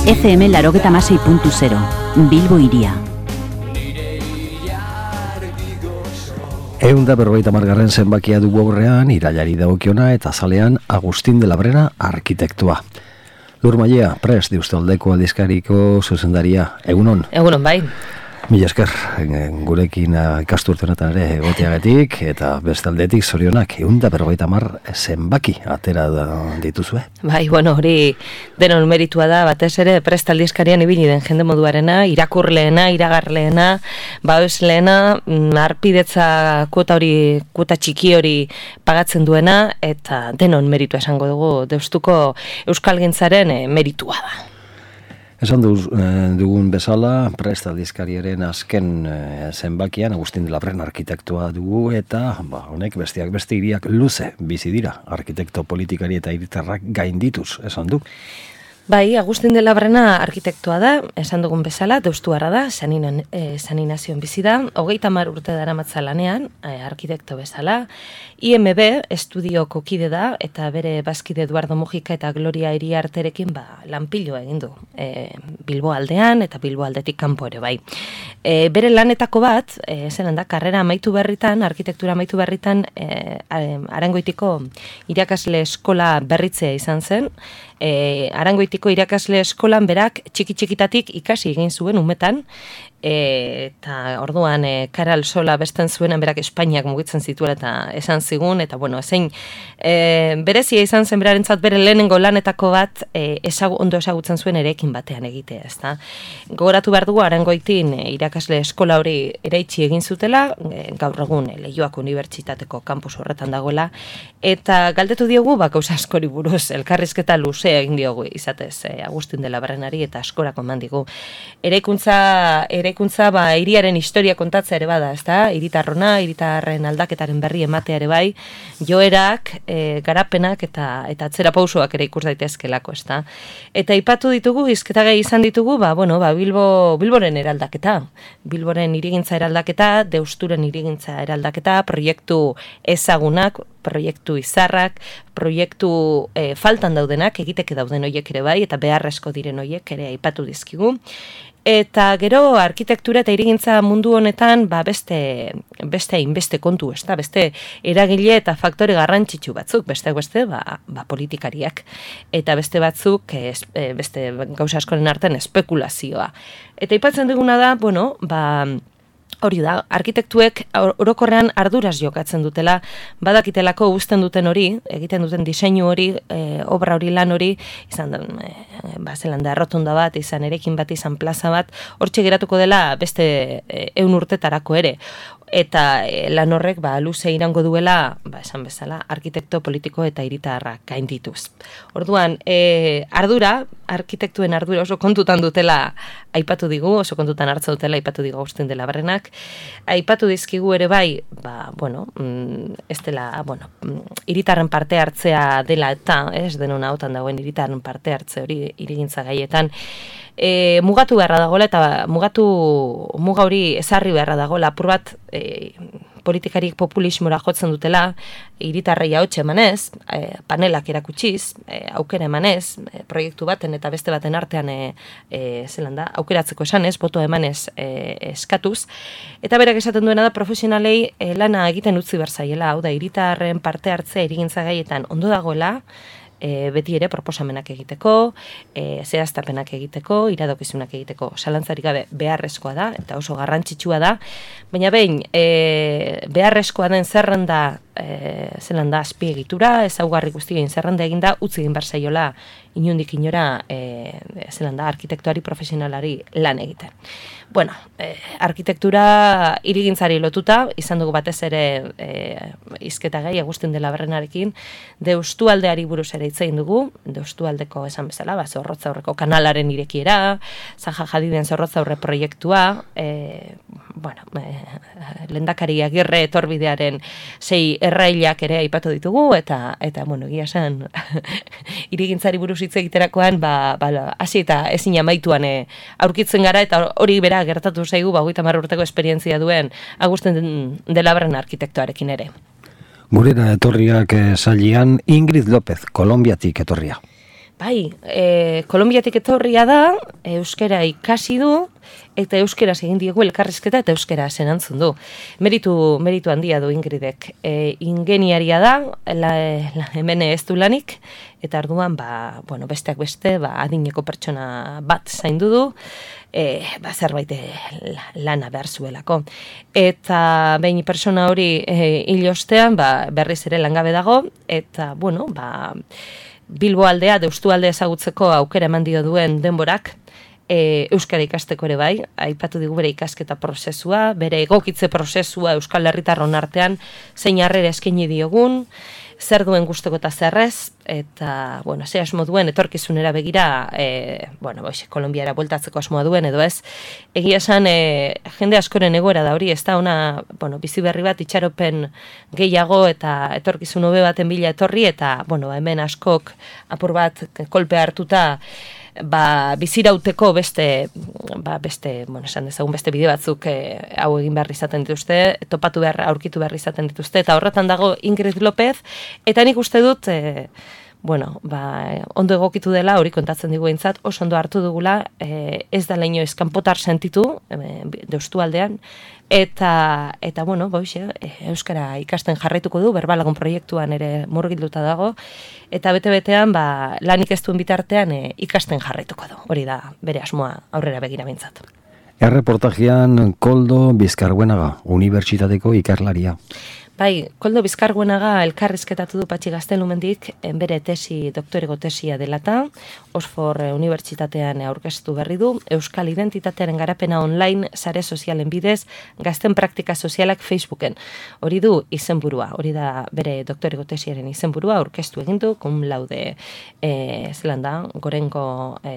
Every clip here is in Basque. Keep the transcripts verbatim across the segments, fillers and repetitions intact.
F M laurogeita hamasei puntu zero, Bilbo Hiria. Ehun da berrogeita hamargarren zenbakia dugu aurrean, irailari dagokiona eta azalean Agustin de la Brena arkitektua. Lur Mailea, prest Deustaldeko aldizkariko zuzendaria. Egunon? Egunon, bai. Mila esker, gurekin ikasturte honetan ere egoteagatik eta bestaldetik zorionak ehun da berrogeita hamar zenbaki atera dituzue. Bai, bueno, hori denon meritua da, batez ere prest aldizkarian ibili den jende moduarena, irakurleena, iragarleena, babesleena, harpidetza kuota hori, kuota txiki hori pagatzen duena, eta denon meritua esango dugu, Deustuko euskalgintzaren meritua da. Esan dugun bezala, prest aldizkariaren azken zenbakian Agustin de la Brena arkitektua dugu eta ba, honek besteak beste hiriak luze bizi dira arkitekto politikari eta hiritarrak gaindituz, esan du. Bai, Agustin de la Brena arkitektua da, esan dugun bezala, deustuarra da, San Inazion bizi da, hogeita hamar urte daramatza lanean, arkitekto bezala, I M B estudioko kide da, eta bere bazkide Eduardo Mujika eta Gloria Iriarterekin ba, lanpilo egin du, e, Bilbo aldean eta Bilbo aldetik kanpo ere bai. E, bere lanetako bat, e, zelan da, karrera amaitu berritan, arkitektura amaitu berritan, e, Arangoitiko irakasle eskola berritzea izan zen, e, Arangoitiko irakasle eskolan berak txiki-txikitatik ikasi egin zuen umetan, e, eta orduan e, Karal Sola besten zuenan berak Espainiak mugitzen zituela eta esan zigun, eta bueno, zein e, berezia izan zen berarentzat bere lehenengo lanetako bat e, ezagu, ondo ezagutzen zuen erekin batean egitea, ezta. Gogoratu behar dugu Arangoitin e, irakasle eskola hori eraitsi egin zutela, e, gaur egun e, Leioako Unibertsitateko kampus horretan dagoela, eta galdetu diogu, ba, gauza askori buruz, elkarrizketa luzea egin diogu izatez e, Agustin de la Brenari eta askorako eman digu. Eraikuntza, eraikuntza ba, hiriaren historia kontatzea ere bada, ezta? Hiritarrona, hiritarren aldaketaren berri ematea ere bai, joerak, e, garapenak eta eta atzera pausoak ere ikus daitezkelako, ezta? Eta aipatu ditugu, hizketagai izan ditugu, ba, bueno, ba, Bilbo, Bilboren eraldaketa, Bilboren hirigintza eraldaketa, Deusturen hirigintza eraldaketa, proiektu ezagunak, proiektu izarrak, proiektu e, faltan daudenak, egiteke dauden horiek ere bai, eta beharrezko diren horiek ere aipatu dizkigu. Eta gero arkitektura eta hirigintza mundu honetan ba beste beste inbeste kontu, ezta, beste eragile eta faktore garrantzitsu batzuk, beste beste ba, ba politikariak eta beste batzuk ez, beste gauza askoren artean espekulazioa. Eta aipatzen duguna da, bueno, ba hori da, arkitektuek orokorrean arduraz jokatzen dutela, badakitelako uzten duten hori, egiten duten diseinu hori, e, obra hori, lan hori, izan da, e, ba, zelan da, errotunda bat, izan erekin bat, izan plaza bat, hortxe geratuko dela beste e, ehun urtetarako ere. Eta e, lan horrek ba, luze irango duela, ba, esan bezala, arkitekto politiko eta hiritarrak gaindituz. Orduan, e, ardura, arkitektuen ardura oso kontutan dutela aipatu digu, oso kontutan hartza dutela aipatu digu Agustin de la Brenak, aipatu dizkigu ere bai, ba, bueno, ez dela, bueno, hiritarren parte hartzea dela eta, ez denona hautan dagoen hiritarren parte hartze hori hirigintza gaietan, E, mugatu beharra dagoela eta mugatu muga hori ezarri beharra dagoela apur bat e, politikarik populismora jotzen dutela hiritarrei ahotsa emanez, e, panelak erakutsiz, e, aukera emanez, e, proiektu baten eta beste baten artean e, e, zelan da, aukeratzeko esanez, boto emanez e, eskatuz, eta berak esaten duena da profesionalei e, lana egiten utzi berzaiela, hau da hiritarren parte hartzea hirigintza gaietan ondo dagoela, E, beti ere proposamenak egiteko, e, zehaztapenak egiteko, iradokizunak egiteko, zalantzarik gabe beharrezkoa da, eta oso garrantzitsua da, baina behin e, beharrezkoa den zerrenda, e, zelan da azpiegitura, ezaugarri guztien zerrenda eginda, utzi egin behar zaiola inundik inora, e, zelan da, arkitektuari profesionalari lan egiten. Bueno, eh, arkitektura hirigintzari lotuta, izan dugu batez ere eh, hizketa gai Agustin de la Brenarekin, Deustualdeari buruz ere hitz egin dugu, Deustualdeko esan bezala, ba, Zorrotzaurreko kanalaren irekiera, Zaha Hadiden Zorrotzaurre proiektua, eh, bueno, eh, Lehendakari Agirre etorbidearen sei errailak ere aipatu ditugu, eta, eta bueno, egia esan, hirigintzari buruz hitz egiterakoan, ba, ba, hasi eta ezin amaituan eh, aurkitzen gara, eta hori bera gertatu zaigu, ba, hogeita hamar urteko esperientzia duen Agustin de la Brena arkitektoarekin ere. Gurera etorriak sailean Ingrid López, Kolonbiatik etorria. Bai, e, Kolonbiatik etorria da, euskara ikasi du, eta euskeraz egin diegu elkarrizketa eta euskera entzun du. Meritu, meritu handia du Ingridek. E, ingeniaria da, la, la, hemen ez du lanik, eta arduan, ba, bueno, besteak beste, ba, adineko pertsona bat zaindu du, e, ba, zerbait lana behar zuelako. Eta behin pertsona hori e, hil ostean, ba, berriz ere langabe dago, eta, bueno, ba, Bilbo aldea, Deustu aldea ezagutzeko aukera eman dio duen denborak, e, euskara ikasteko ere bai, aipatu digu bere ikasketa prozesua, bere egokitze prozesua Euskal Herritarron artean, zein harrera eskaini diogun, zer duen gustoko eta zerrez, eta, bueno, ze asmo duen etorkizunera begira, e, bueno, boix, Kolonbiara bueltatzeko asmoa duen edo ez. Egia esan, e, jende askoren egoera da hori, ez da ona, bueno, bizi berri bat itxaropen gehiago eta etorkizun hobe baten bila etorri, eta, bueno, hemen askok apur bat kolpe hartuta, ba, bizirauteko beste, ba, beste, bueno, esan dezagun beste bideo batzuk e, hau egin behar izaten dituzte, topatu behar, aurkitu behar izaten dituzte, eta horretan dago Ingrid López, eta nik uste dut, e, bueno, ba, ondo egokitu dela, hori kontatzen digu eintzat, oso ondo hartu dugula, e, ez da leino eskanpotar sentitu, e, Deustu aldean, eta, eta bueno, boixe, euskara ikasten jarraituko du, berbalagun proiektuan ere murgilduta dago, eta bete-betean, ba, lanik ez duen bitartean e, ikasten jarraituko du, hori da bere asmoa aurrera begira bintzat. Erreportajean Koldo Bizkarbuenaga, unibertsitateko ikerlaria. Bai, Koldo Bizkarbuenaga elkarrizketatu du Patxi Gaztelumendik bere tesi, doktorego tesia delata, Oxford Unibertsitatean aurkeztu berri du, Euskal Identitatearen garapena online sare sozialen bidez, gazten praktika sozialak Facebooken. Hori du izenburua, hori da bere doktorego tesiaren izenburua, aurkeztu egin du, cum laude e, zelan da, gorenko e,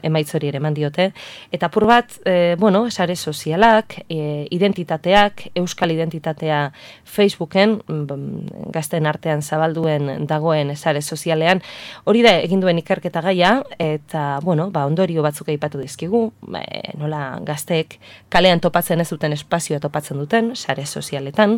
emaitz hori ere eman diote, eta apur bat, e, bueno, sare sozialak, e, identitateak, Euskal Identitatea Facebook gazten artean zabalduen dagoen sare sozialean, hori da egin duen ikerketa gaia, eta, bueno, ba, ondorio batzuk aipatu dizkigu, e, nola gazteek kalean topatzen ez duten espazioa topatzen duten, sare sozialetan,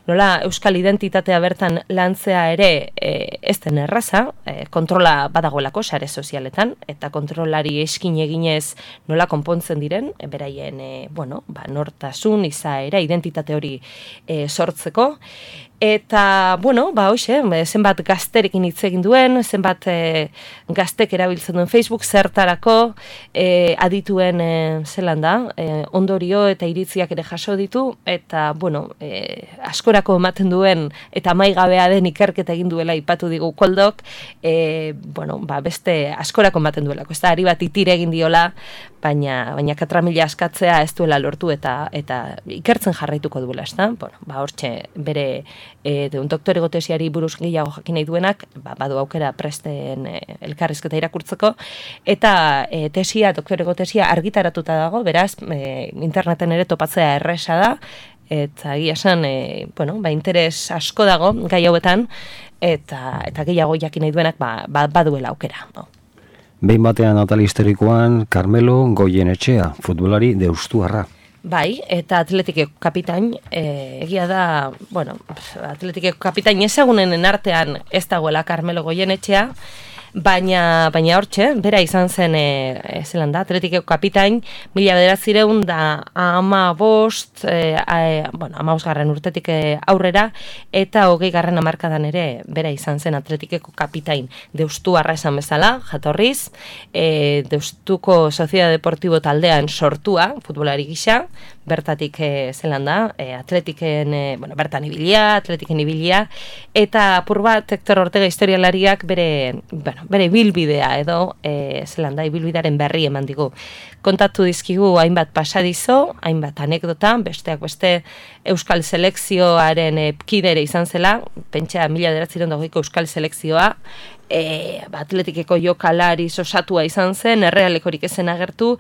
nola euskal identitatea bertan lantzea ere e, ez den erraza, e, kontrola badagoelako sare sozialetan, eta kontrolari eskin eginez nola konpontzen diren, e, beraien, e, bueno, ba, nortasun, izaera, identitate hori e, sortzeko, eta, bueno, ba, hoxe, zenbat gazterekin hitz egin duen, zenbat e, gaztek erabiltzen duen Facebook, zertarako e, adituen e, zelan da, e, ondorio eta iritziak ere jaso ditu, eta, bueno, e, askorako ematen duen, eta maigabea den ikerketa egin duela ipatu digu Koldok, e, bueno, ba, beste askorako ematen duelako, ez da, ari bat itire egin diola, baina, baina katramila askatzea ez duela lortu eta eta ikertzen jarraituko duela, ez da? Bueno, ba, hortxe, bere e, de un doktorego tesiari buruz gehiago jakin nahi duenak, ba, badu aukera presten e, elkarrizketa irakurtzeko, eta e, tesia, doktorego tesia argitaratuta dago, beraz, e, interneten ere topatzea erresa da, eta egia esan, e, bueno, ba, interes asko dago gai hauetan, eta, eta gehiago jakin nahi duenak ba, ba, baduela aukera, no? Behin batean atal historikoan, Carmelo Goyenetxea, futbolari deustuarra. Bai, eta Atletikeko kapitain, e, egia da, bueno, Atletikeko kapitain ezagunenen artean ez dagoela Carmelo Goyenetxea, baina baina hortxe, bera izan zen e, zelan da, Atletikeko kapitain, mila bederatzireun da ama bost, e, e, bueno, ama bosgarren urtetik aurrera, eta hogei garren hamarkadan ere bera izan zen Atletikeko kapitain deustuarra esan bezala, jatorriz, e, Deustuko Soziedad Deportibo taldean sortua, futbolari gisa, bertatik e, zelan da, e, Atletiken, e, bueno, bertan ibilia, Atletiken ibilia, eta apur bat Hector Ortega historialariak bere, bueno, bere bilbidea edo e, zelan da, ibilbidearen berri eman digu. Kontatu dizkigu hainbat pasadizo, hainbat anekdota, besteak beste Euskal Selekzioaren e, kidere izan zela, pentsa mila bederatziehun eta hogeiko Euskal Selekzioa, E, ba, Atletikeko jokalari osatua izan zen, errealekorik ezen agertu,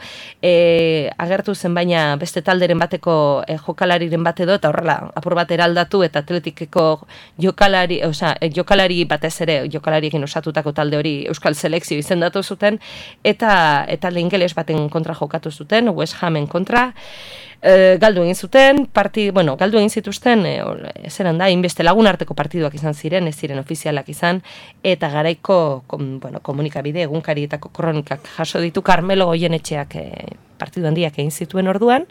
e, agertu zen baina beste talderen talderen bateko e, jokalariren bat edo, eta horrela, apur bat eraldatu, eta Atletikeko jokalari, oza, jokalari batez ere, jokalariekin osatutako talde hori Euskal Selekzio izendatu zuten, eta, eta ingeles baten kontra jokatu zuten, West Hamen kontra, E, galdu egin zuten, parti, bueno, galdu egin zituzten, e, zeran da, inbeste lagun arteko partiduak izan ziren, ez ziren ofizialak izan, eta garaiko kom, bueno, komunikabide egunkarietako kronikak jaso ditu Carmelo Goyenetxeak e, partidu handiak egin zituen orduan,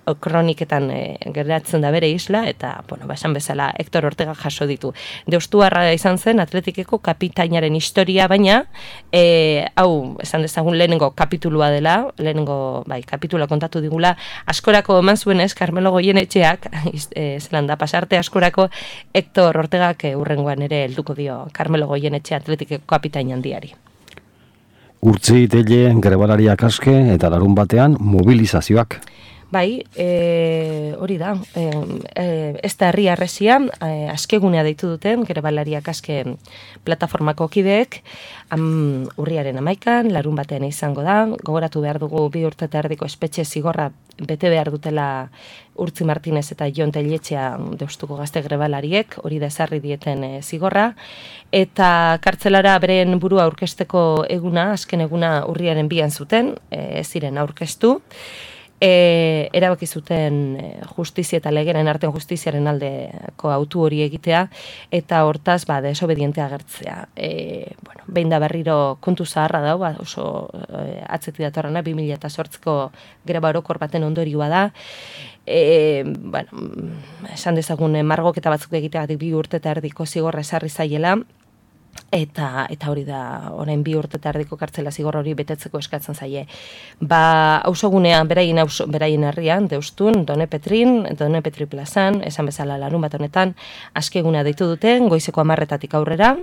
o, kroniketan e, geratzen da bere isla, eta, bueno, basan bezala Hector Ortega jaso ditu. Deustuarra izan zen Atletikeko kapitainaren historia, baina, e, hau, esan dezagun lehenengo kapitulua dela, lehenengo, bai, kapitula kontatu digula, askorako eman zuenez, Carmelo Goyenetxeak, e, zelan da, pasarte askorako, Hector Ortegak e, urrengoan ere helduko dio Carmelo Goyenetxe Atletikeko kapitain handiari. Urtzi tele grebalariak aske eta larun batean mobilizazioak. Bai, e, hori da, e, e, ez da herri arresia, e, askegunea deitu duten, grebalariak aske plataformako kideek, am, urriaren amaikan, larun batean izango da, gogoratu behar dugu bi urte eta erdiko espetxe zigorra bete behar dutela Urtzi Martinez eta Jon Telletxea Deustuko gazte grebalariek, hori da ezarri dieten e, zigorra, eta kartzelara beren burua aurkesteko eguna, azken eguna urriaren bian zuten, ez e, ziren aurkeztu, E, erabaki zuten justizia eta legeren artean justiziaren aldeko autu hori egitea, eta hortaz, ba, desobedientea agertzea. E, bueno, behin da berriro kontu zaharra dau, ba, oso e, atzeti datorrena, bi mila zortziko greba orokor baten ondorioa da. E, bueno, esan dezagun margoketa batzuk egiteagatik bi urte eta erdiko zigorra esarri zaiela, Eta, eta hori da, orain bi urte eta erdiko kartzela zigor hori betetzeko eskatzen zaie. Ba, auzogunean beraien, auzo, beraien herrian, Deustun, Done Petrin, Done Petri plazan, esan bezala larun bat honetan, askeguna deitu duten, goizeko hamarretatik aurrera,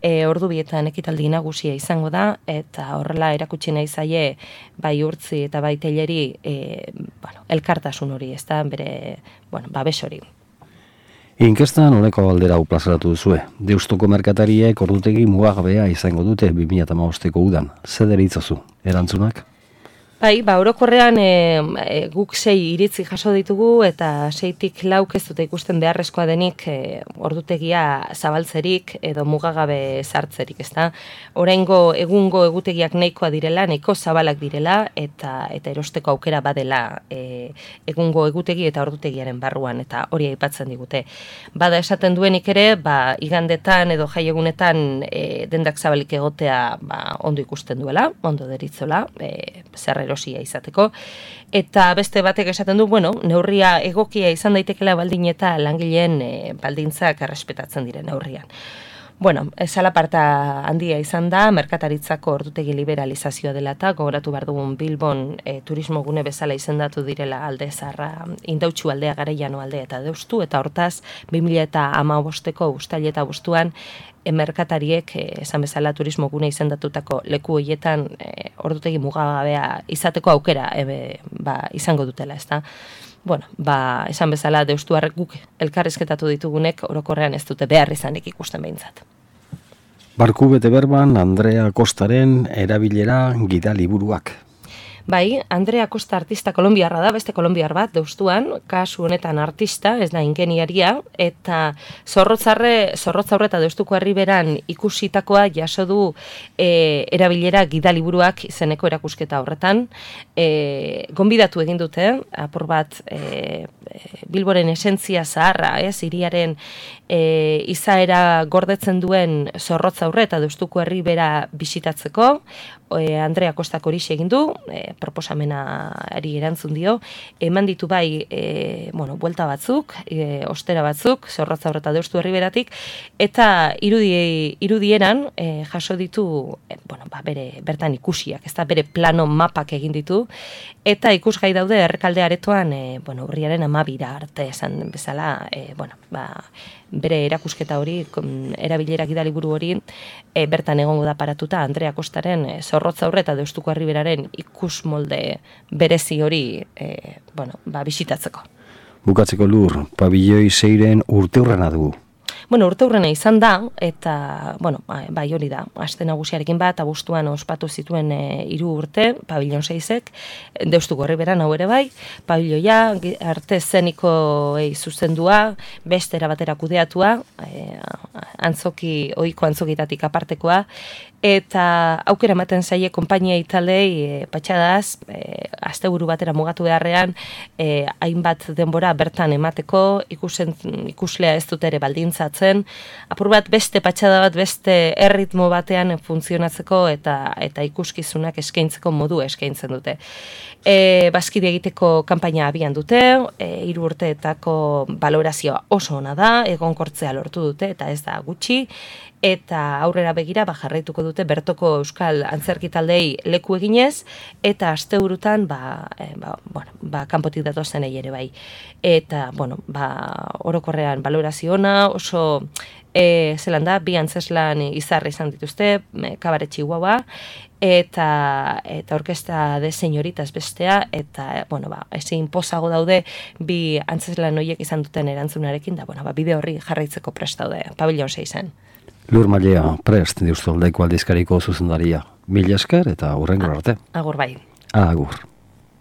e, ordu bietan ekitaldi nagusia izango da, eta horrela erakutsi nahi zaie, bai Urtzi eta bai Telleri, e, bueno, elkartasun hori, ez da, bere, bueno, babes hori. Inkestan honeko galdera hau plazaratu duzue. Deustuko merkatariek ordutegi mugagabea izango dute bi mila hamabosteko udan. Zer deritzozu? Erantzunak? Bai, ba, orokorrean e, e, guk sei iritzi jaso ditugu eta seitik lauk ez dute ikusten beharrezkoa denik e, ordutegia zabaltzerik edo mugagabe sartzerik, ezta? Oraingo egungo egutegiak nahikoa direla, nahiko zabalak direla eta eta erosteko aukera badela e, egungo egutegi eta ordutegiaren barruan, eta hori aipatzen digute. Bada esaten duenik ere, ba, igandetan edo jaiegunetan e, dendak zabalik egotea ba, ondo ikusten duela, ondo deritzola, e, zer erosia izateko, eta beste batek esaten du, bueno, neurria egokia izan daitekela baldin eta langileen e, baldintzak errespetatzen diren neurrian. Bueno, zalaparta handia izan da, merkataritzako ordutegi liberalizazioa dela eta gogoratu behar dugun Bilbon e, turismo gune bezala izendatu direla alde zarra, Indautxu aldea, Garaiano aldea eta Deustu, eta hortaz, bi mila hamabosteko uztail eta bostuan, e, merkatariek, e, esan bezala turismo gune izendatutako leku horietan e, ordutegi mugagabea izateko aukera e, ba, izango dutela, ezta? Bueno, ba, esan bezala Deustuarrek guk elkarrizketatu ditugunek orokorrean ez dute behar izanik ikusten behintzat. Barku bete berban Andrea Kostaren erabilera gida liburuak. Bai, Andrea Costa artista kolonbiarra da, beste kolonbiar bat, Deustuan, kasu honetan artista, ez da ingeniaria, eta zorrotzarre, zorrotzaurre eta Deustuko herriberan ikusitakoa jaso du e, erabilera gidaliburuak izeneko erakusketa horretan. E, gonbidatu egin dute, apur bat e, Bilboren esentzia zaharra, ez, hiriaren e, izaera gordetzen duen zorrotzaurre eta Deustuko herribera bisitatzeko, e, Andrea Kostak horixe egin du, e, proposamenari erantzun dio, eman ditu bai, e, bueno, buelta batzuk, e, ostera batzuk, zorrotzaurre eta Deustu herriberatik, eta irudi, irudieran e, jaso ditu, e, bueno, ba, bere bertan ikusiak, ez da bere plano mapak egin ditu, eta ikusgai daude errekalde aretoan, e, bueno, urriaren amabira arte esan bezala, e, bueno, ba, bere erakusketa hori, erabilera gidaliburu hori, e, bertan egongo da paratuta Andrea Kostaren e, zorrotzaurre eta Deustuko herriberaren ikus molde berezi hori e, bueno, ba, bisitatzeko. Bukatzeko Lur, pabilloi seiren urte hurrena dugu. Bueno, urte hurrena izan da, eta, bueno, bai hori da, aste nagusiarekin bat, abuztuan ospatu zituen e, hiru urte, pabillon seizek, Deustu Gorriberan hau ere bai, pabilloia, arte zenikoei zuzendua, beste erabatera kudeatua, e, antzoki, ohiko antzokitatik apartekoa, eta aukera ematen zaie konpainia italei e, patxadaz, e, asteburu batera mugatu beharrean, e, hainbat denbora bertan emateko, ikusen, ikuslea ez dut ere baldintzatzen, apur bat beste patxada bat, beste erritmo batean funtzionatzeko eta eta ikuskizunak eskaintzeko modu eskaintzen dute. E, Bazkide egiteko kanpaina abian dute, e, hiru urteetako balorazioa oso ona da, egonkortzea lortu dute eta ez da gutxi, eta aurrera begira ba, jarraituko dute bertoko euskal antzerki taldei leku eginez, eta asteburutan ba, e, ba, bueno, ba, kanpotik datozenei ere bai. Eta, bueno, ba, orokorrean balorazio ona, oso e, zelan da, bi antzeslan izarra izan dituzte, e, Kabaret Chihuahua, eta eta orkesta de señoritas bestea, eta, bueno, ba, ezin pozago daude bi antzeslan horiek izan duten erantzunarekin, da, bueno, ba, bide horri jarraitzeko prest daude, pabillon seizen. Lur Mailea, prest, Deustu Aldaiko aldizkariko zuzendaria. Mila esker eta hurrengo arte. Agur bai. Agur.